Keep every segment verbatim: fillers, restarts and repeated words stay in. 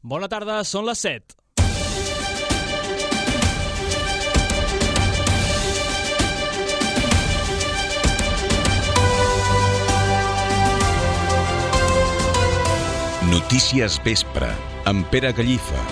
Bona tarda, són les set. Notícies Vespre, amb Pere Gallifa.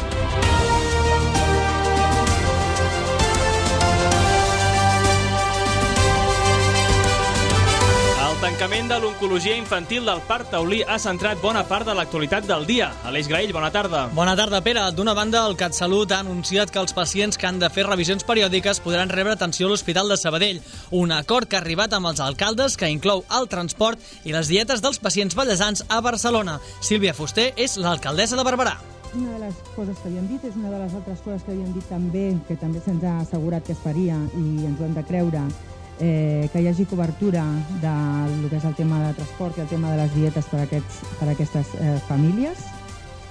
El tancament de l'oncologia infantil del Parc Taulí ha centrat bona part de l'actualitat del dia. Aleix Graell, bona tarda. Bona tarda, Pere. D'una banda, el CatSalut ha anunciat que els pacients que han de fer revisions periòdiques podran rebre atenció a l'Hospital de Sabadell. Un acord que ha arribat amb els alcaldes que inclou el transport i les dietes dels pacients vallesans a Barcelona. Sílvia Fuster és l'alcaldessa de Barberà. Una de les coses que havíem dit és una de les altres coses que havíem dit també, que també se'ns ha assegurat que es faria i ens ho hem de creure, eh, que hi hagi cobertura del que és el tema de transport i el tema de les dietes per, aquests, per aquestes eh, famílies.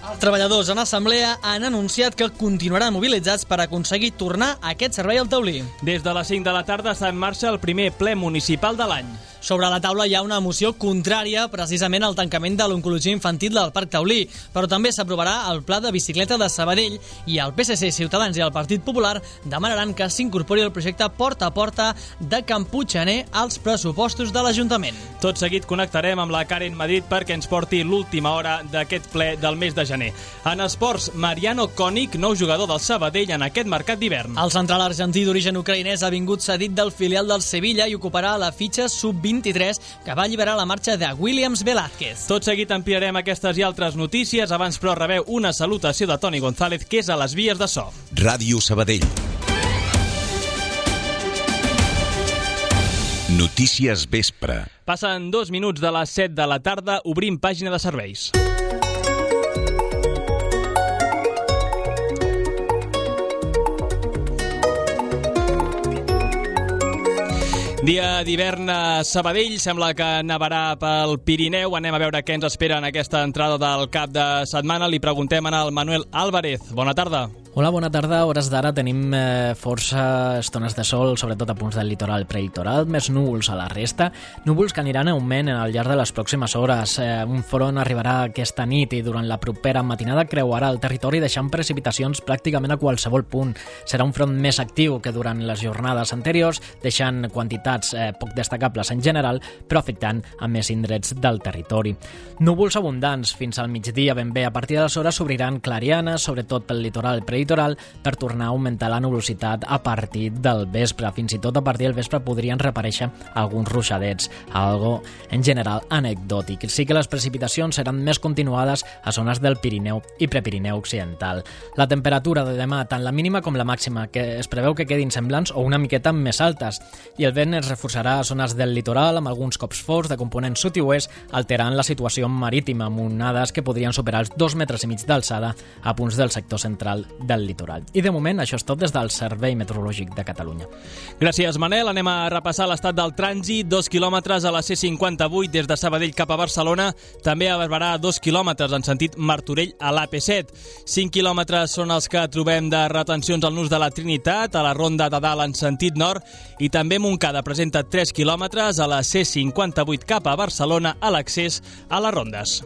Els treballadors en assemblea han anunciat que continuaran mobilitzats per aconseguir tornar a aquest servei al Taulí. Des de les cinc de la tarda està en marxa el primer ple municipal de l'any. Sobre la taula hi ha una moció contrària precisament al tancament de l'oncologia infantil del Parc Taulí, però també s'aprovarà el pla de bicicleta de Sabadell i el P S C, Ciutadans i el Partit Popular demanaran que s'incorpori el projecte Porta a Porta de Can Puiggener als pressupostos de l'Ajuntament. Tot seguit connectarem amb la Karen Madrid perquè ens porti l'última hora d'aquest ple del mes de gener. En esports, Mariano Koenig, nou jugador del Sabadell en aquest mercat d'hivern. El central argentí d'origen ucraïnès ha vingut cedit del filial del Sevilla i ocuparà la fitxa sub vint-i-tres que va alliberar la marxa de Williams Velázquez. Tot seguit ampliarem aquestes i altres notícies. Abans, però, rebeu una salutació de Toni González, que és a les vies de so. Ràdio Sabadell. Notícies Vespre. Passen dos minuts de les set de la tarda, obrim pàgina de serveis. Dia d'hivern a Sabadell, sembla que nevarà pel Pirineu. Anem a veure què ens espera en aquesta entrada del cap de setmana. Li preguntem al Manuel Álvarez. Bona tarda. Hola, bona tarda. A hores d'ara tenim eh, força estones de sol, sobretot a punts del litoral prelitoral, més núvols a la resta, núvols que aniran en augment al llarg de les pròximes hores. Eh, un front arribarà aquesta nit i durant la propera matinada creuarà el territori deixant precipitacions pràcticament a qualsevol punt. Serà un front més actiu que durant les jornades anteriors, deixant quantitats eh, poc destacables en general, però afectant a més indrets del territori. Núvols abundants fins al migdia ben bé. A partir d'aleshores s'obriran clarianes, sobretot pel litoral prelitoral, per tornar a augmentar la nubositat a partir del vespre. Fins i tot a partir del vespre podrien reaparèixer alguns ruixadets, algo en general anecdòtic. Sí que les precipitacions seran més continuades a zones del Pirineu i Prepirineu occidental. La temperatura de demà, tant la mínima com la màxima, que es preveu que quedin semblants o una miqueta més altes, i el vent es reforçarà a zones del litoral amb alguns cops forts de component sud i oest, alterant la situació marítima amb onades que podrien superar els dos metres i mig d'alçada a punts del sector central del del litoral. I de moment això és tot des del Servei Meteorològic de Catalunya. Gràcies, Manel. Anem a repassar l'estat del trànsit. Dos quilòmetres a la C cinquanta-vuit des de Sabadell cap a Barcelona. També a Barberà dos quilòmetres en sentit Martorell a l'A P set. Cinc quilòmetres són els que trobem de retencions al nus de la Trinitat, a la Ronda de Dalt en sentit nord, i també Montcada presenta tres quilòmetres a la C cinquanta-vuit cap a Barcelona a l'accés a les Rondes.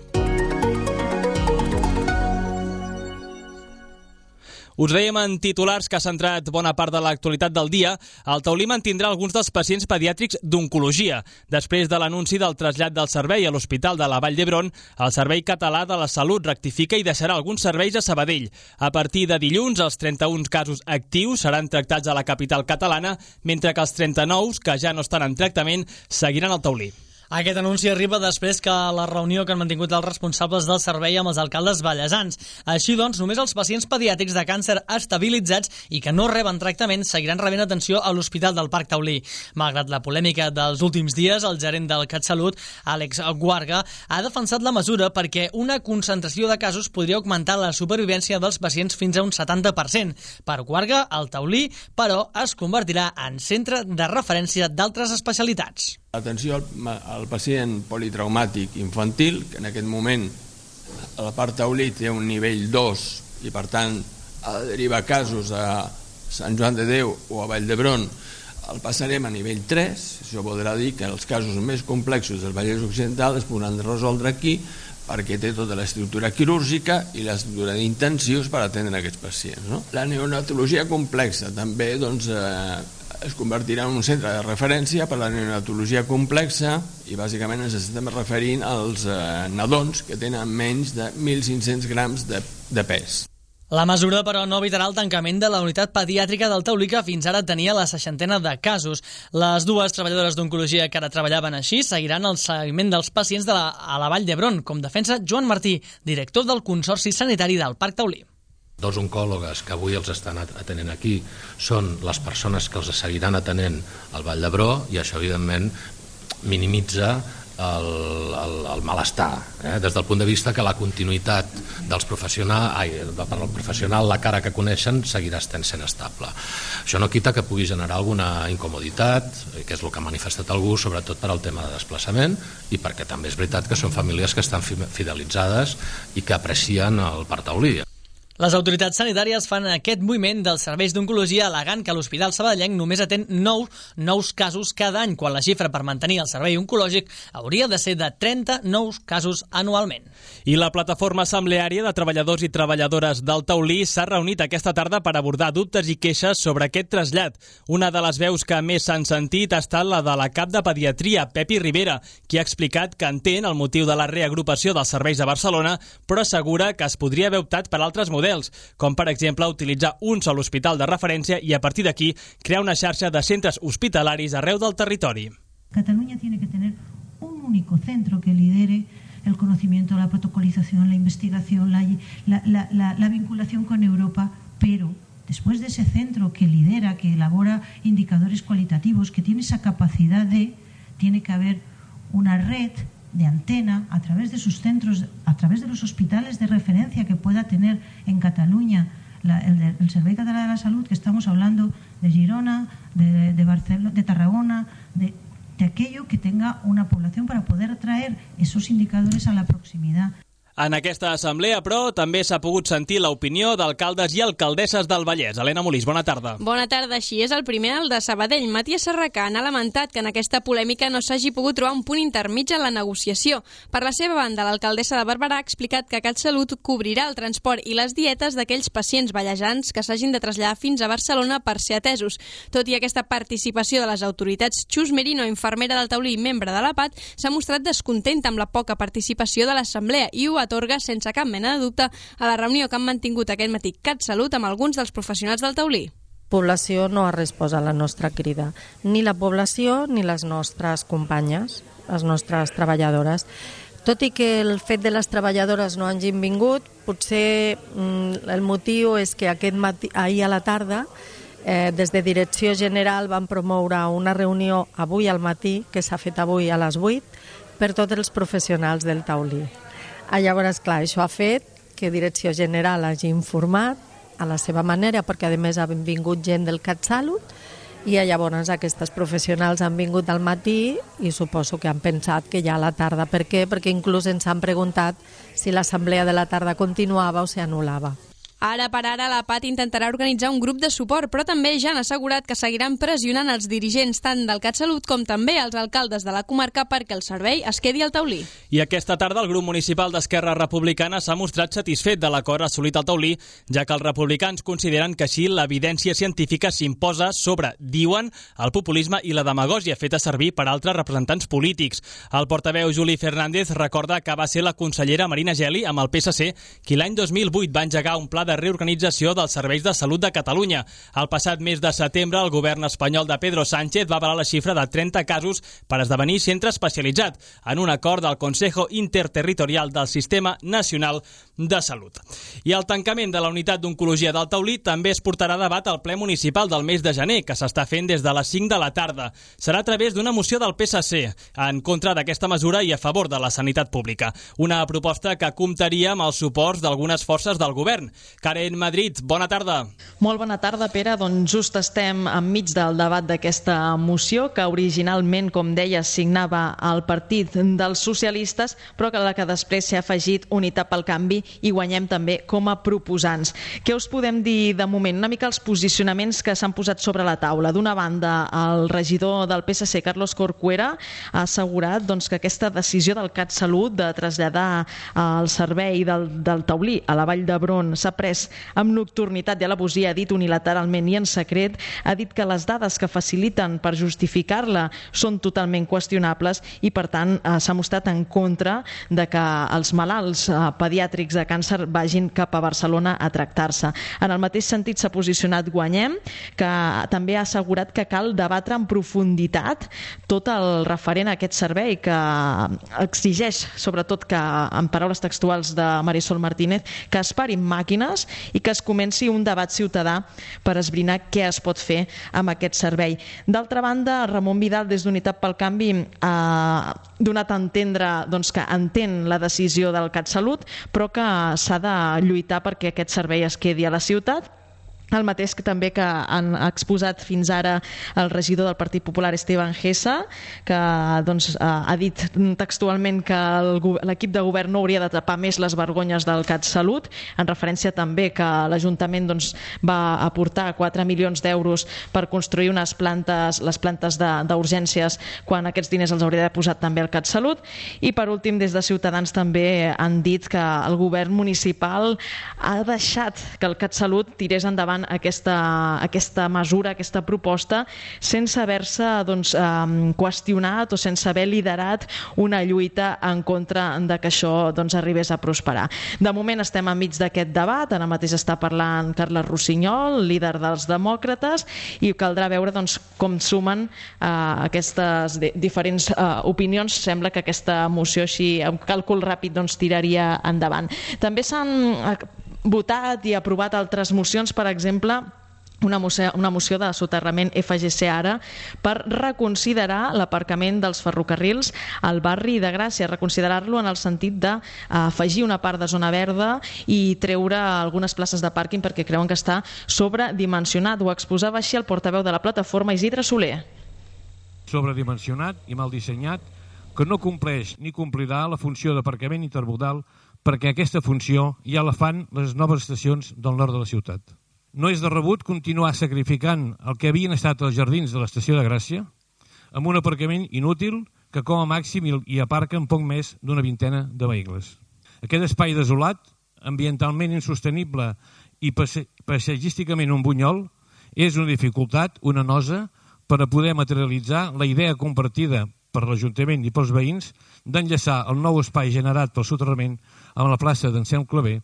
Us dèiem en titulars que ha centrat bona part de l'actualitat del dia. El Taulí mantindrà alguns dels pacients pediàtrics d'oncologia. Després de l'anunci del trasllat del servei a l'Hospital de la Vall d'Hebron, el Servei Català de la Salut rectifica i deixarà alguns serveis a Sabadell. A partir de dilluns, els trenta-un casos actius seran tractats a la capital catalana, mentre que els trenta-nou, que ja no estan en tractament, seguiran al Taulí. Aquest anunci arriba després que la reunió que han mantingut els responsables del servei amb els alcaldes vallesans. Així doncs, només els pacients pediàtrics de càncer estabilitzats i que no reben tractament seguiran rebent atenció a l'Hospital del Parc Taulí. Malgrat la polèmica dels últims dies, el gerent del CatSalut, Àlex Guarga, ha defensat la mesura perquè una concentració de casos podria augmentar la supervivència dels pacients fins a un setanta per cent. Per Guarga, el Taulí, però, es convertirà en centre de referència d'altres especialitats. Atenció al, al pacient politraumàtic infantil, que en aquest moment a la part Taulí té un nivell dos i per tant ha de derivar casos a Sant Joan de Déu o a Vall d'Hebron, el passarem a nivell tres. Això voldrà dir que els casos més complexos del Vallès Occidental es podran resoldre aquí perquè té tota l'estructura quirúrgica i l'estructura d'intensius per atendre aquests pacients, no? La neonatologia complexa també doncs, eh, es convertirà en un centre de referència per la neonatologia complexa i bàsicament ens estem referint als eh, nadons que tenen menys de mil cinc-cents grams de, de pes. La mesura, però, no evitarà el tancament de la unitat pediàtrica del Taulí, que fins ara tenia la seixantena de casos. Les dues treballadores d'oncologia que ara treballaven així seguiran el seguiment dels pacients de la, a la Vall d'Hebron, com defensa Joan Martí, director del Consorci Sanitari del Parc Taulí. Dos oncòlogues que avui els estan atenent aquí són les persones que els seguiran atenent al Vall d'Hebron i això, evidentment, minimitza el, el, el malestar, eh? Des del punt de vista que la continuïtat dels professionals, ai, per al professional, la cara que coneixen seguirà sent estable. Això no quita que pugui generar alguna incomoditat, que és el que ha manifestat algú, sobretot per al tema de desplaçament i perquè també és veritat que són famílies que estan fidelitzades i que aprecien el Parc Taulí. Les autoritats sanitàries fan aquest moviment dels serveis d'oncologia al·legant que l'Hospital Sabadellenc només atén nou nous casos cada any, quan la xifra per mantenir el servei oncològic hauria de ser de trenta nous casos anualment. I la plataforma assembleària de treballadors i treballadores del Taulí s'ha reunit aquesta tarda per abordar dubtes i queixes sobre aquest trasllat. Una de les veus que més s'han sentit ha estat la de la cap de pediatria, Pepi Rivera, qui ha explicat que entén el motiu de la reagrupació dels serveis a Barcelona, però assegura que es podria haver optat per altres models, com per exemple utilitzar un sol hospital de referència i a partir d'aquí crear una xarxa de centres hospitalaris arreu del territori. Cataluña tiene que tener un único centro que lidere el conocimiento, la protocolización, la investigación, la, la, la, la, la vinculación con Europa, pero después de ese centro que lidera, que elabora indicadores cualitativos, que tiene esa capacidad de, tiene que haber una red de antena a través de sus centros, a través de los hospitales de referencia que pueda tener en Cataluña la, el, el Servei Català de la Salud, que estamos hablando de Girona, de, de Barcelona, de Tarragona, de, de aquello que tenga una población para poder traer esos indicadores a la proximidad. En aquesta assemblea, però, també s'ha pogut sentir l'opinió d'alcaldes i alcaldesses del Vallès. Helena Molís, bona tarda. Bona tarda, així és el primer, el de Sabadell. Matías Serracant ha lamentat que en aquesta polèmica no s'hagi pogut trobar un punt intermig en la negociació. Per la seva banda, l'alcaldessa de Barberà ha explicat que CatSalut cobrirà el transport i les dietes d'aquells pacients vallejans que s'hagin de traslladar fins a Barcelona per ser atesos. Tot i aquesta participació de les autoritats, Xus Merino, infermera del Taulí i membre de l'A P A T, s'ha mostrat descontenta amb la poca participació de l'assemblea i ho ha atorga sense cap mena de dubte a la reunió que han mantingut aquest matí CatSalut amb alguns dels professionals del Taulí. Població no ha respost a la nostra crida, ni la població ni les nostres companyes, les nostres treballadores. Tot i que el fet de les treballadores no hagin vingut, potser mm, el motiu és que aquest matí, ahir a la tarda, eh, des de Direcció General van promoure una reunió avui al matí, que s'ha fet avui a les vuit, per tots els professionals del Taulí. Ah, llavors, clar, això ha fet que Direcció General hagi informat a la seva manera, perquè a més ha vingut gent del CatSalut i llavors aquestes professionals han vingut al matí i suposo que han pensat que ja a la tarda. Per què? Perquè inclús ens han preguntat si l'assemblea de la tarda continuava o s'anul·lava. Ara per ara, la P A T intentarà organitzar un grup de suport, però també ja han assegurat que seguiran pressionant els dirigents tant del CatSalut com també els alcaldes de la comarca perquè el servei es quedi al Taulí. I aquesta tarda el grup municipal d'Esquerra Republicana s'ha mostrat satisfet de l'acord assolit al Taulí, ja que els republicans consideren que així l'evidència científica s'imposa sobre, diuen, el populisme i la demagògia feta servir per altres representants polítics. El portaveu Juli Fernández recorda que va ser la consellera Marina Geli amb el P S C qui l'any dos mil vuit va engegar un pla de reorganització dels serveis de salut de Catalunya. El passat mes de setembre, el govern espanyol de Pedro Sánchez va avalar la xifra de trenta casos per esdevenir centre especialitzat en un acord del Consejo Interterritorial del Sistema Nacional de Salut. I el tancament de la unitat d'oncologia del Taulí també es portarà a debat al ple municipal del mes de gener, que s'està fent des de les cinc de la tarda. Serà a través d'una moció del P S C en contra d'aquesta mesura i a favor de la sanitat pública. Una proposta que comptaria amb els suports d'algunes forces del govern. Karen Madrid, bona tarda. Molt bona tarda, Pere. Doncs just estem enmig del debat d'aquesta moció que originalment, com deia, signava el Partit dels Socialistes, però que la que després s'ha afegit Unitat pel Canvi i guanyem també com a proposants. Què us podem dir de moment? Una mica els posicionaments que s'han posat sobre la taula. D'una banda, el regidor del P S C, Carlos Corcuera, ha assegurat doncs, que aquesta decisió del CatSalut de traslladar el servei del, del taulí a la Vall d'Hebron s'ha pres amb nocturnitat i alabosia, ha dit unilateralment i en secret, ha dit que les dades que faciliten per justificar-la són totalment qüestionables i, per tant, eh, s'ha mostrat en contra de que els malalts eh, pediàtrics de càncer vagin cap a Barcelona a tractar-se. En el mateix sentit s'ha posicionat Guanyem, que també ha assegurat que cal debatre en profunditat tot el referent a aquest servei, que exigeix, sobretot que, en paraules textuals de Marisol Martínez, que es parin màquines i que es comenci un debat ciutadà per esbrinar què es pot fer amb aquest servei. D'altra banda, Ramon Vidal, des d'Unitat pel Canvi, ha donat a entendre doncs, que entén la decisió del CatSalut, però que s'ha de lluitar perquè aquest servei es quedi a la ciutat. El mateix que també que han exposat fins ara el regidor del Partit Popular, Esteban Gessa, que doncs, ha dit textualment que l'equip de govern no hauria de tapar més les vergonyes del CatSalut, en referència també que l'Ajuntament doncs, va aportar quatre milions d'euros per construir unes plantes, les plantes d'urgències, quan aquests diners els hauria d'haver posat també el CatSalut. I per últim, des de Ciutadans també han dit que el govern municipal ha deixat que el CatSalut tirés endavant Aquesta, aquesta mesura, aquesta proposta, sense haver-se doncs, eh, qüestionat o sense haver liderat una lluita en contra de que això doncs, arribés a prosperar. De moment estem enmig d'aquest debat, ara mateix està parlant Carles Rossinyol, líder dels demòcrates, i caldrà veure doncs, com sumen eh, aquestes diferents eh, opinions. Sembla que aquesta moció, així, amb càlcul ràpid, doncs, tiraria endavant. També s'han votat i aprovat altres mocions, per exemple, una moció, una moció de soterrament F G C Ara per reconsiderar l'aparcament dels ferrocarrils al barri de Gràcia, reconsiderar-lo en el sentit d'afegir una part de zona verda i treure algunes places de pàrquing perquè creuen que està sobredimensionat. Ho exposava així el portaveu de la plataforma, Isidre Soler. Sobredimensionat i mal dissenyat, que no compleix ni complirà la funció d'aparcament intermodal, perquè aquesta funció ja la fan les noves estacions del nord de la ciutat. No és de rebut continuar sacrificant el que havien estat els jardins de l'estació de Gràcia amb un aparcament inútil que com a màxim hi aparquen poc més d'una vintena de vehicles. Aquest espai desolat, ambientalment insostenible i paisatgísticament un bunyol, és una dificultat, una nosa, per a poder materialitzar la idea compartida per l'Ajuntament i pels veïns d'enllaçar el nou espai generat pel soterrament amb la plaça d'Anselm Clavé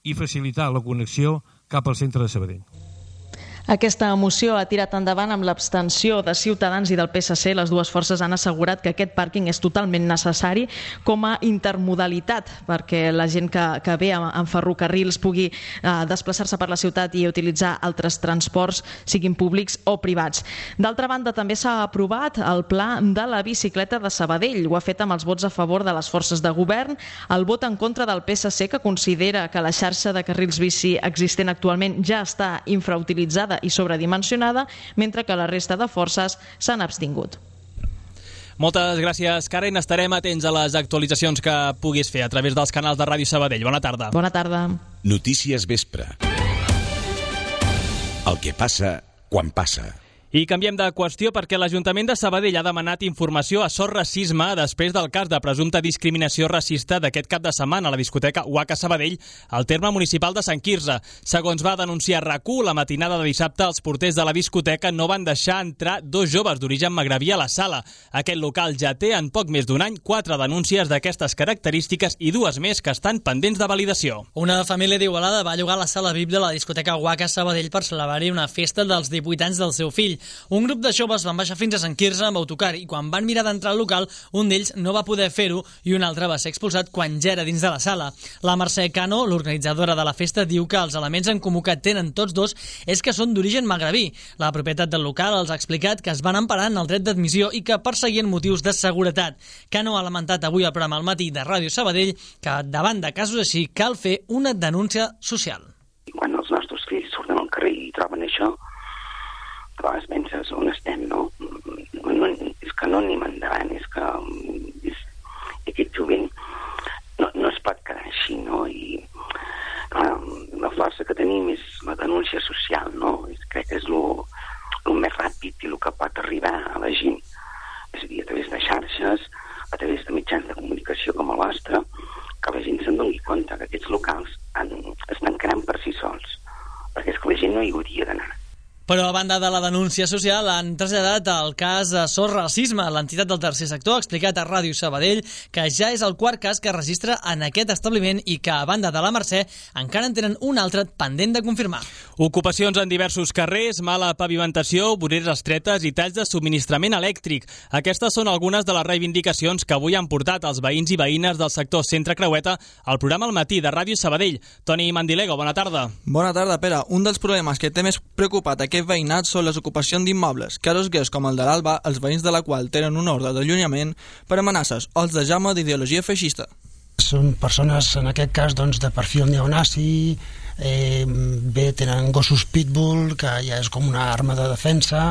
i facilitar la connexió cap al centre de Sabadell. Aquesta moció ha tirat endavant amb l'abstenció de Ciutadans i del P S C. Les dues forces han assegurat que aquest pàrquing és totalment necessari com a intermodalitat perquè la gent que, que ve en ferrocarrils pugui eh, desplaçar-se per la ciutat i utilitzar altres transports, siguin públics o privats. D'altra banda, també s'ha aprovat el pla de la bicicleta de Sabadell. Ho ha fet amb els vots a favor de les forces de govern, el vot en contra del P S C, que considera que la xarxa de carrils bici existent actualment ja està infrautilitzada i sobredimensionada, mentre que la resta de forces s'han abstingut. Moltes gràcies, Karen. Estarem atents a les actualitzacions que puguis fer a través dels canals de Ràdio Sabadell. Bona tarda. Bona tarda. Notícies Vespre. El que passa quan passa. I canviem de qüestió perquè l'Ajuntament de Sabadell ha demanat informació a Sort Racisme després del cas de presumpta discriminació racista d'aquest cap de setmana a la discoteca Waka Sabadell, al terme municipal de Sant Quirze. Segons va denunciar RAC1, la matinada de dissabte els porters de la discoteca no van deixar entrar dos joves d'origen magrebí a la sala. Aquest local ja té en poc més d'un any quatre denúncies d'aquestes característiques i dues més que estan pendents de validació. Una família d'Igualada va llogar la sala V I P de la discoteca Waka Sabadell per celebrar-hi una festa dels divuit anys del seu fill. Un grup de joves van baixar fins a Sant Quirze amb autocar i quan van mirar d'entrar al local, un d'ells no va poder fer-ho i un altre va ser expulsat quan ja era dins de la sala. La Mercè Cano, l'organitzadora de la festa, diu que els elements en comú que tenen tots dos és que són d'origen magrebí. La propietat del local els ha explicat que es van emparar en el dret d'admissió i que perseguien motius de seguretat. Cano ha lamentat avui al programa Al Matí de Ràdio Sabadell que davant de casos així cal fer una denúncia social. Quan els nostres fills surten al carrer i troben això, a vegades penses on estem, no? no és que no anem endavant, és que és, aquest jovent no, no es pot quedar així, no? I tenim és la denúncia social, no? Crec que és el més ràpid i el que pot arribar a la gent. És a dir, a través de xarxes, a través de mitjans de comunicació com el vostre, que la gent se'n doni compte que aquests locals han, es tancaran per si sols, perquè és que la gent no hi hauria d'anar. Però a banda de la denúncia social han traslladat el cas de Sos Racisme. L'entitat del tercer sector ha explicat a Ràdio Sabadell que ja és el quart cas que registra en aquest establiment i que, a banda de la Mercè, encara en tenen un altre pendent de confirmar. Ocupacions en diversos carrers, mala pavimentació, voreres estretes i talls de subministrament elèctric. Aquestes són algunes de les reivindicacions que avui han portat els veïns i veïnes del sector Centre Creueta al programa Al Matí de Ràdio Sabadell. Toni Mandilego, bona tarda. Bona tarda, Pere. Un dels problemes que té més preocupat aquest veïnat són les ocupacions d'immobles. Casos greus com el de l'Alba, els veïns de la qual tenen una ordre d'allunyament per amenaces o els de Jaume d'ideologia feixista. Són persones, en aquest cas, doncs, de perfil neonazi, eh, bé, tenen gossos pitbull, que ja és com una arma de defensa,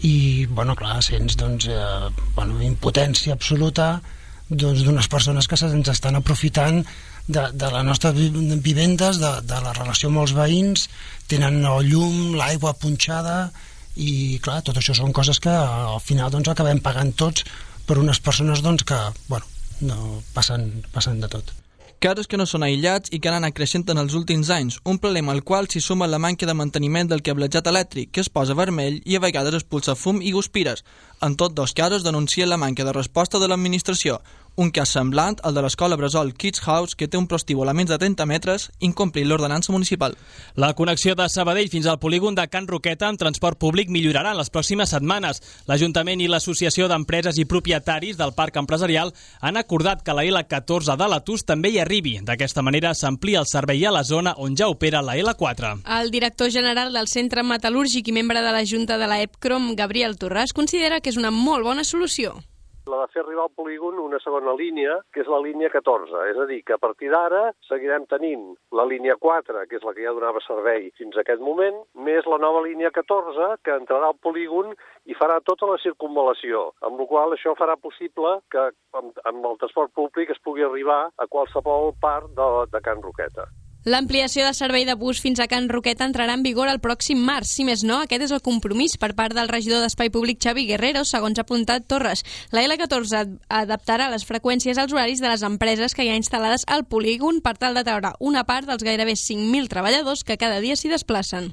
i, bueno, clar, sents, doncs, eh, bueno, impotència absoluta doncs, d'unes persones que se'ns estan aprofitant de, de les nostres vivendes, de, de la relació amb els veïns, tenen el llum, l'aigua punxada, i clar, tot això són coses que al final doncs, acabem pagant tots per unes persones doncs, que bueno, no passen, passen de tot. Casos que no són aïllats i que han anat creixent en els últims anys, un problema al qual s'hi suma la manca de manteniment del cablejat elèctric, que es posa vermell i a vegades expulsa fum i guspires. En tots dos casos denuncien la manca de resposta de l'administració. Un cas semblant, el de l'escola Bressol Kids House, que té un prostíbul a menys de trenta metres, incomplint l'ordenança municipal. La connexió de Sabadell fins al polígon de Can Roqueta amb transport públic millorarà en les pròximes setmanes. L'Ajuntament i l'Associació d'Empreses i Propietaris del Parc Empresarial han acordat que la L catorze de l'Atus també hi arribi. D'aquesta manera s'amplia el servei a la zona on ja opera la L quatre. El director general del Centre Metal·lúrgic i membre de la Junta de la EPCROM, Gabriel Torràs, considera que és una molt bona solució. La de fer arribar al polígon una segona línia, que és la línia catorze. És a dir, que a partir d'ara seguirem tenint la línia quatre, que és la que ja donava servei fins a aquest moment, més la nova línia catorze, que entrarà al polígon i farà tota la circunvalació, amb la qual això farà possible que amb, amb el transport públic es pugui arribar a qualsevol part de, de Can Roqueta. L'ampliació de servei de bus fins a Can Roqueta entrarà en vigor el pròxim març. Si més no, aquest és el compromís per part del regidor d'Espai Públic Xavi Guerrero, segons ha apuntat Torres. La L catorze adaptarà les freqüències als horaris de les empreses que hi ha instal·lades al polígon per tal de treure una part dels gairebé cinc mil treballadors que cada dia s'hi desplacen.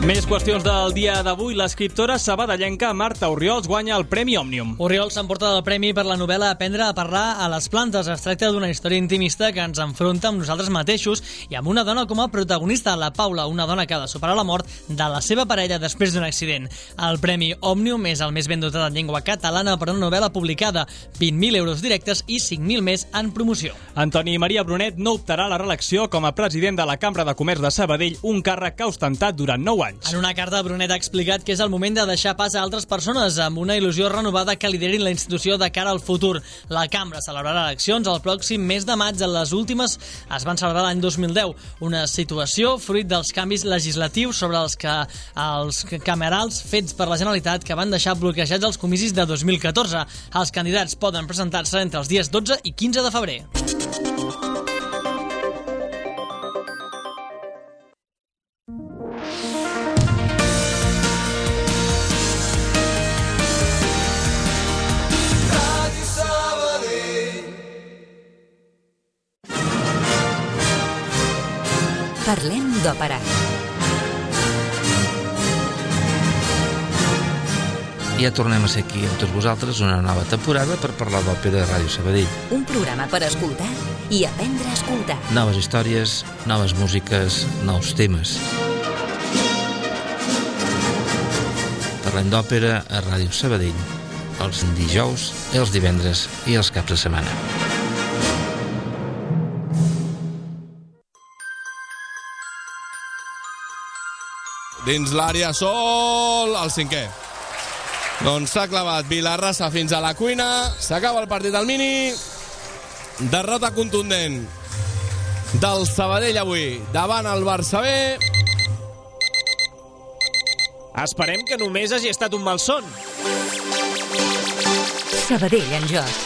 Més qüestions del dia d'avui. L'escriptora sabadellenca Marta Orriols guanya el Premi Òmnium. Orriols s'emporta el premi per la novel·la Aprendre a parlar a les plantes. Es tracta d'una història intimista que ens enfronta amb nosaltres mateixos i amb una dona com a protagonista, la Paula, una dona que ha de superar la mort de la seva parella després d'un accident. El Premi Òmnium és el més ben dotat en llengua catalana per una novel·la publicada, vint mil euros directes i cinc mil més en promoció. Antoni Maria Brunet no optarà a la reelecció com a president de la Cambra de Comerç de Sabadell, un càrrec que ha ostentat durant nou anys. En una carta, Brunet ha explicat que és el moment de deixar pas a altres persones amb una il·lusió renovada que liderin la institució de cara al futur. La Cambra celebrarà eleccions el pròxim mes de maig. Les últimes es van celebrar l'any dos mil deu. Una situació fruit dels canvis legislatius sobre els que els camerals fets per la Generalitat que van deixar bloquejats els comicis de dos mil catorze. Els candidats poden presentar-se entre els dies dotze i quinze de febrer. Parlem d'òpera. Ja tornem a ser aquí amb tots vosaltres una nova temporada per parlar d'òpera a Ràdio Sabadell. Un programa per escoltar i aprendre a escoltar. Noves històries, noves músiques, nous temes. Parlem d'òpera a Ràdio Sabadell els dijous, els divendres i els caps de setmana. Dins l'àrea sol, el cinquè. Doncs s'ha clavat Vilarrasa fins a la cuina, s'acaba el partit al Mini, derrota contundent del Sabadell avui davant el Barça B. Esperem que només hagi estat un malson. Sabadell en joc.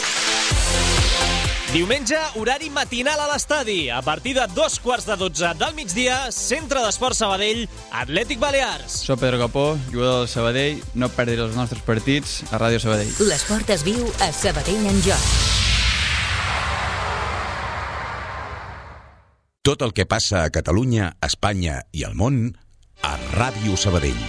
Diumenge, horari matinal a l'estadi. A partir de dos quarts de dotze del migdia, Centre d'Esport Sabadell, Atlètic Balears. Soc Pedro Capó, jugador del Sabadell. No perdis els nostres partits a Ràdio Sabadell. L'esport es viu a Sabadell en joc. Tot el que passa a Catalunya, Espanya i al món a Ràdio Sabadell.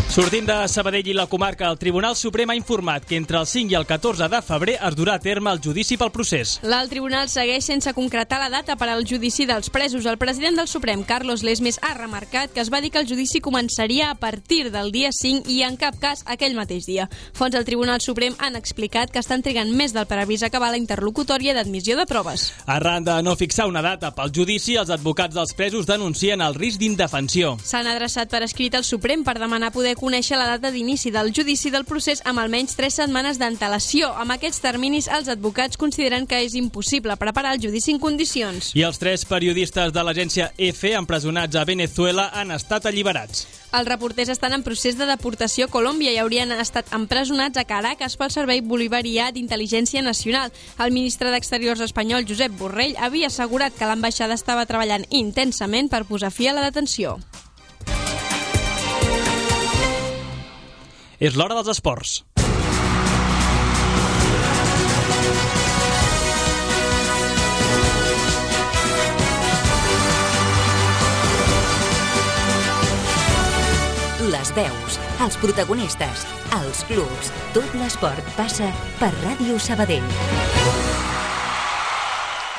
Sortint de Sabadell i la comarca, el Tribunal Suprem ha informat que entre el cinc i el catorze de febrer es durà a terme el judici pel procés. L'alt tribunal segueix sense concretar la data per al judici dels presos. El president del Suprem, Carlos Lesmes, ha remarcat que es va dir que el judici començaria a partir del dia cinc i en cap cas aquell mateix dia. Fonts del Tribunal Suprem han explicat que estan trigant més del previst a acabar la interlocutòria d'admissió de proves. Arran de no fixar una data pel judici, els advocats dels presos denuncien el risc d'indefensió. S'han adreçat per escrit al Suprem per demanar poder conèixer la data d'inici del judici del procés amb almenys tres setmanes d'antelació. Amb aquests terminis, els advocats consideren que és impossible preparar el judici en condicions. I els tres periodistes de l'agència EFE empresonats a Venezuela han estat alliberats. Els reporters estan en procés de deportació a Colòmbia i haurien estat empresonats a Caracas pel Servei Bolivarià d'Intel·ligència Nacional. El ministre d'Exteriors espanyol, Josep Borrell, havia assegurat que l'ambaixada estava treballant intensament per posar fi a la detenció. És l'hora dels esports. Les veus, els protagonistes, els clubs, tot l'esport passa per Ràdio Sabadell.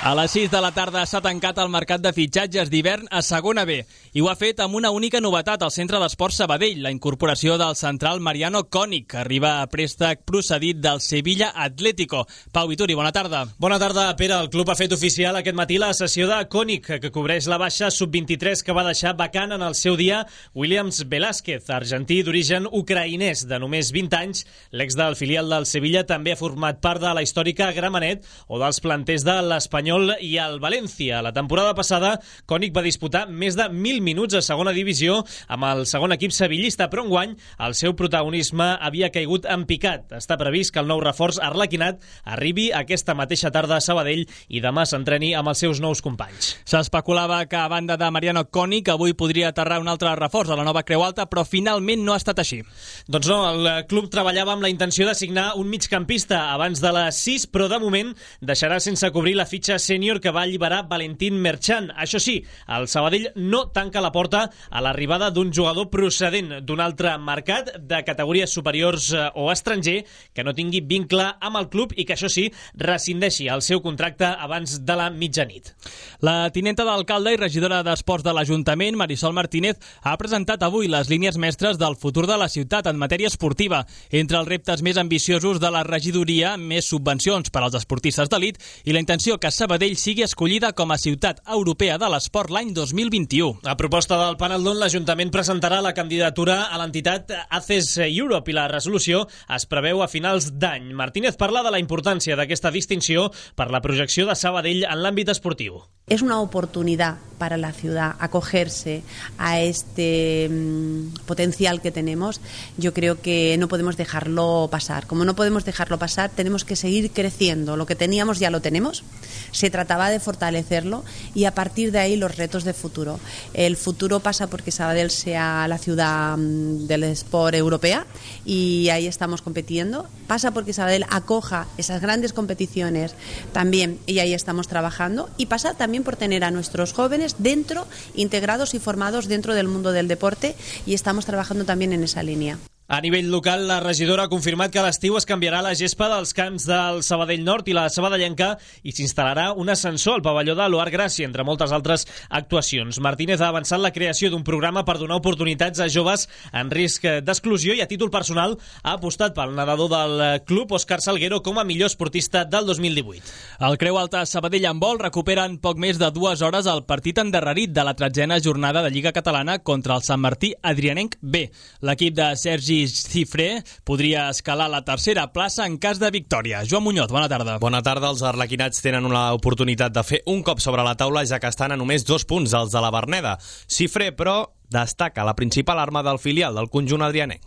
A les sis de la tarda s'ha tancat el mercat de fitxatges d'hivern a segona B i ho ha fet amb una única novetat al Centre d'Esport Sabadell, la incorporació del central Mariano Konik, que arriba a préstec procedit del Sevilla Atlético. Pau Vituri, bona tarda. Bona tarda, Pere. El club ha fet oficial aquest matí la cessió de Konik, que cobreix la baixa sub vint-i-tres que va deixar vacant en el seu dia Williams Velázquez, argentí d'origen ucraïnès de només vint anys. L'ex del filial del Sevilla també ha format part de la històrica Gramenet o dels planters de l'Espanyol i el València. La temporada passada, Konik va disputar més de mil minuts a segona divisió amb el segon equip sevillista, però enguany el seu protagonisme havia caigut en picat. Està previst que el nou reforç arlequinat arribi aquesta mateixa tarda a Sabadell i demà s'entreni amb els seus nous companys. S'especulava que a banda de Mariano Konik avui podria aterrar un altre reforç a la nova Creu Alta, però finalment no ha estat així. Doncs no, el club treballava amb la intenció de signar un migcampista abans de les sis, però de moment deixarà sense cobrir la fitxa sènior que va alliberar Valentín Merchan. Això sí, el Sabadell no tanca la porta a l'arribada d'un jugador procedent d'un altre mercat de categories superiors o estranger que no tingui vincle amb el club i que, això sí, rescindeixi el seu contracte abans de la mitjanit. La tinenta d'alcalde i regidora d'Esports de l'Ajuntament, Marisol Martínez, ha presentat avui les línies mestres del futur de la ciutat en matèria esportiva. Entre els reptes més ambiciosos de la regidoria, més subvencions per als esportistes d'elit i la intenció que Sabadell sigui escollida com a ciutat europea de l'esport l'any dos mil vint-i-u. A proposta del Panaldon, l'Ajuntament presentarà la candidatura a l'entitat A C E S Europe i la resolució es preveu a finals d'any. Martínez parla de la importància d'aquesta distinció per la projecció de Sabadell en l'àmbit esportiu. Es una oportunidad para la ciudad acogerse a este mmm, potencial que tenemos. Yo creo que no podemos dejarlo pasar. Como no podemos dejarlo pasar, tenemos que seguir creciendo. Lo que teníamos ya lo tenemos. Se trataba de fortalecerlo y a partir de ahí los retos de futuro. El futuro pasa porque Sabadell sea la ciudad mmm, del sport europea y ahí estamos compitiendo. Pasa porque Sabadell acoja esas grandes competiciones también y ahí estamos trabajando. Y pasa también por tener a nuestros jóvenes dentro, integrados y formados dentro del mundo del deporte y estamos trabajando también en esa línea. A nivell local, la regidora ha confirmat que a l'estiu es canviarà la gespa dels camps del Sabadell Nord i la Sabadellenca i s'instal·larà un ascensor al pavelló de l'Oar Gràcia, entre moltes altres actuacions. Martínez ha avançat la creació d'un programa per donar oportunitats a joves en risc d'exclusió i a títol personal ha apostat pel nedador del club Òscar Salguero com a millor esportista del dos mil divuit. El Creu Alta Sabadell en vol recupera en poc més de dues hores el partit endarrerit de la tretzena jornada de Lliga Catalana contra el Sant Martí Adrianenc B. L'equip de Sergi Cifré podria escalar la tercera plaça en cas de victòria. Joan Muñoz, bona tarda. Bona tarda. Els arlequinats tenen una oportunitat de fer un cop sobre la taula, ja que estan a només dos punts els de la Verneda. Cifré, però, destaca la principal arma del filial del conjunt adrianenc.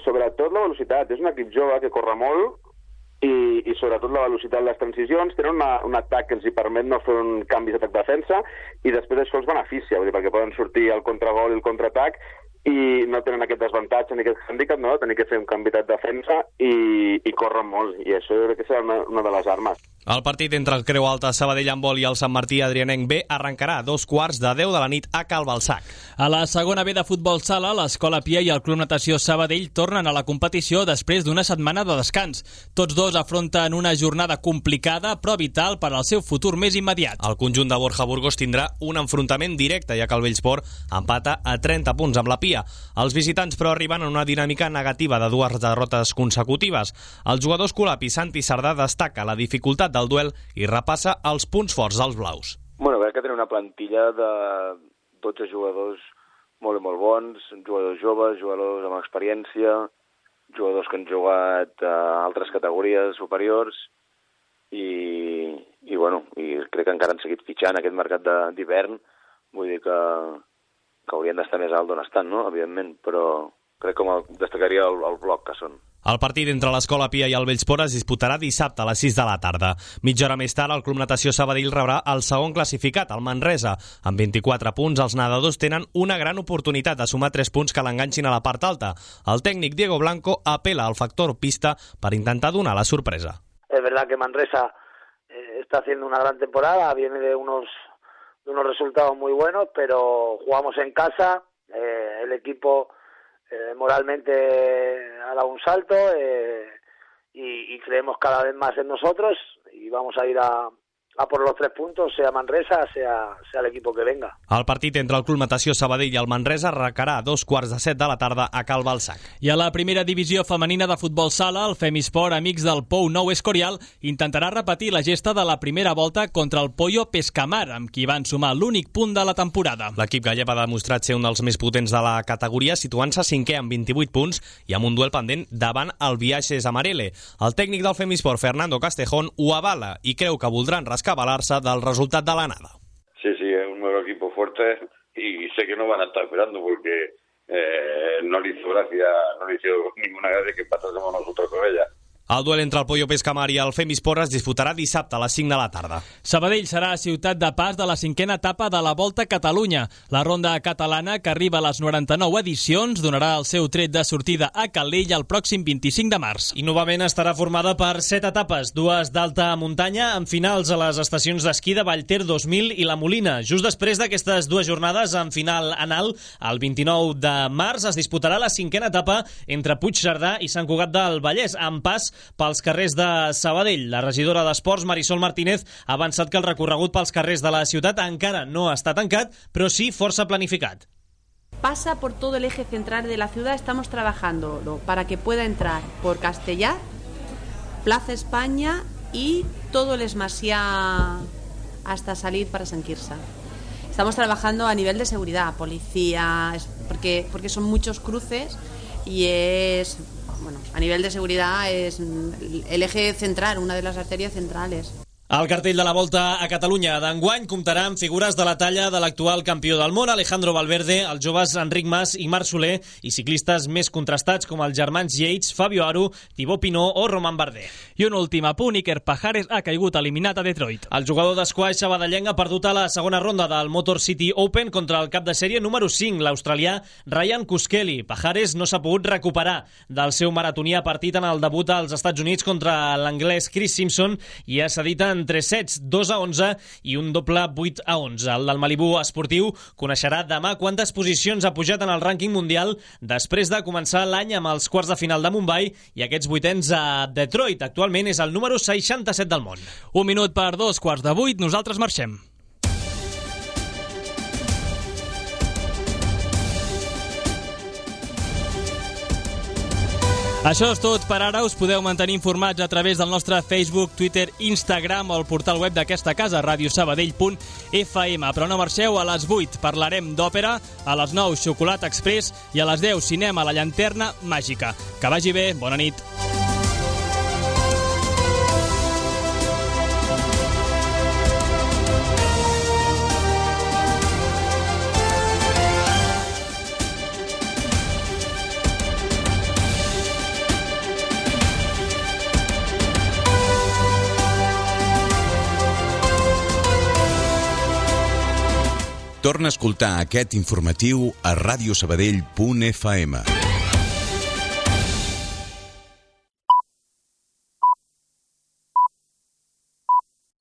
Sobretot la velocitat. És un equip jove que corre molt i, i sobretot la velocitat de les transicions. Tenen una, un atac que els hi permet no fer un canvi d'atac-defensa i després això els beneficia, vull dir, perquè poden sortir el contragol i el contraatac i no tenen aquest desavantatge ni aquest hàndicap, no? Tenir que fer un canvi de defensa i, i corren molt, i això jo crec que serà una, una de les armes. El partit entre el Creu Alta Sabadell Handbol i el Sant Martí Adrianenc B arrencarà a dos quarts de deu de la nit a Cal Balsac. A la segona B de futbol sala, l'Escola Pia i el Club Natació Sabadell tornen a la competició després d'una setmana de descans. Tots dos afronten una jornada complicada però vital per al seu futur més immediat. El conjunt de Borja Burgos tindrà un enfrontament directe, ja que el Bellsport empata a trenta punts amb la Pia. Els visitants, però, arriben en una dinàmica negativa de dues derrotes consecutives. El jugador escolapi Santi Sardà destaca la dificultat del duel i repassa els punts forts dels blaus. Bueno, crec que tenen una plantilla de dotze jugadors molt i molt bons, jugadors joves, jugadors amb experiència, jugadors que han jugat a altres categories superiors i, i bueno, i crec que encara han seguit fitxant aquest mercat d'hivern, vull dir que que haurien d'estar més alt d'on estan, no?, evidentment, però crec que destacaria el, el bloc que són. El partit entre l'Escola Pia i el Bellsport es disputarà dissabte a les sis de la tarda. Mitja hora més tard, el Club Natació Sabadell rebrà el segon classificat, el Manresa. Amb vint-i-quatre punts, els nedadors tenen una gran oportunitat de sumar tres punts que l'enganxin a la part alta. El tècnic Diego Blanco apela al factor pista per intentar donar la sorpresa. Es verdad que Manresa eh, está haciendo una gran temporada, viene de unos de unos resultados muy buenos, pero jugamos en casa, eh, el equipo eh, moralmente ha dado un salto eh, y, y creemos cada vez más en nosotros y vamos a ir a, a por los tres puntos, sea Manresa, sea, sea el equipo que venga. El partit entre el Club Natació Sabadell i el Manresa arrencarà a dos quarts de set de la tarda a Cal Balsac. I a la primera divisió femenina de futbol sala, el Femisport, amics del Pou Nou Escorial, intentarà repetir la gesta de la primera volta contra el Pollo Pescamar, amb qui van sumar l'únic punt de la temporada. L'equip gallec ha demostrat ser un dels més potents de la categoria, situant-se cinquè amb vint-i-vuit punts i amb un duel pendent davant el Viajes Amarele. El tècnic del Femisport, Fernando Castejón, ho avala i creu que voldran rescabalar-se del resultat de l'anada. Sí, sí, es un nuevo equipo fuerte y sé que no van a estar esperando porque eh, no le hizo gracia, no le hizo ninguna gracia que pasásemos nosotros con ella. El duel entre el Pollo Pescamar i el Femisport es disputarà dissabte a les cinc de la tarda. Sabadell serà ciutat de pas de la cinquena etapa de la Volta a Catalunya. La ronda catalana, que arriba a les noranta-nou edicions, donarà el seu tret de sortida a Calella el pròxim vint-i-cinc de març. I novament estarà formada per set etapes, dues d'alta muntanya, amb finals a les estacions d'esquí de Vallter dos mil i la Molina. Just després d'aquestes dues jornades, amb final anal, el vint-i-nou de març es disputarà la cinquena etapa entre Puigcerdà i Sant Cugat del Vallès, amb pas pels carrers de Sabadell. La regidora d'Esports, Marisol Martínez, ha avançat que el recorregut pels carrers de la ciutat encara no està tancat, però sí força planificat. Pasa por todo el eje central de la ciudad, estamos trabajando para que pueda entrar por Castellar, Plaza España y todo el Esmasiá hasta salir para San Quirze. Estamos trabajando a nivel de seguridad, policía, porque, porque son muchos cruces y es... Bueno, a nivel de seguridad es el eje central, una de las arterias centrales. El cartell de la Volta a Catalunya d'enguany comptarà amb figures de la talla de l'actual campió del món, Alejandro Valverde, els joves Enric Mas i Marc Soler, i ciclistes més contrastats com els germans Yates, Fabio Aru, Thibaut Pinot o Roman Bardet. I un últim apunt, Iker Pajares ha caigut eliminat a Detroit. El jugador d'esquaix sabadellenc ha perdut a la segona ronda del Motor City Open contra el cap de sèrie número cinc, l'australià Ryan Kuskeli. Pajares no s'ha pogut recuperar del seu maratonià partit en el debut als Estats Units contra l'anglès Chris Simpson i ha cedit en tres sets, dos a onze i un doble vuit a onze. El del Malibu esportiu coneixerà demà quantes posicions ha pujat en el rànquing mundial després de començar l'any amb els quarts de final de Mumbai i aquests vuitens a Detroit. Actualment és el número seixanta-set del món. Un minut per dos quarts de vuit, nosaltres marxem. Això és tot per ara. Us podeu mantenir informats a través del nostre Facebook, Twitter, Instagram o el portal web d'aquesta casa, radio sabadell punt f m. Però no marxeu, a les vuit parlarem d'òpera, a les nou Xocolata Express i a les deu cinema a la llanterna màgica. Que vagi bé, bona nit. Torna a escoltar aquest informatiu a radiosabadell punt f m.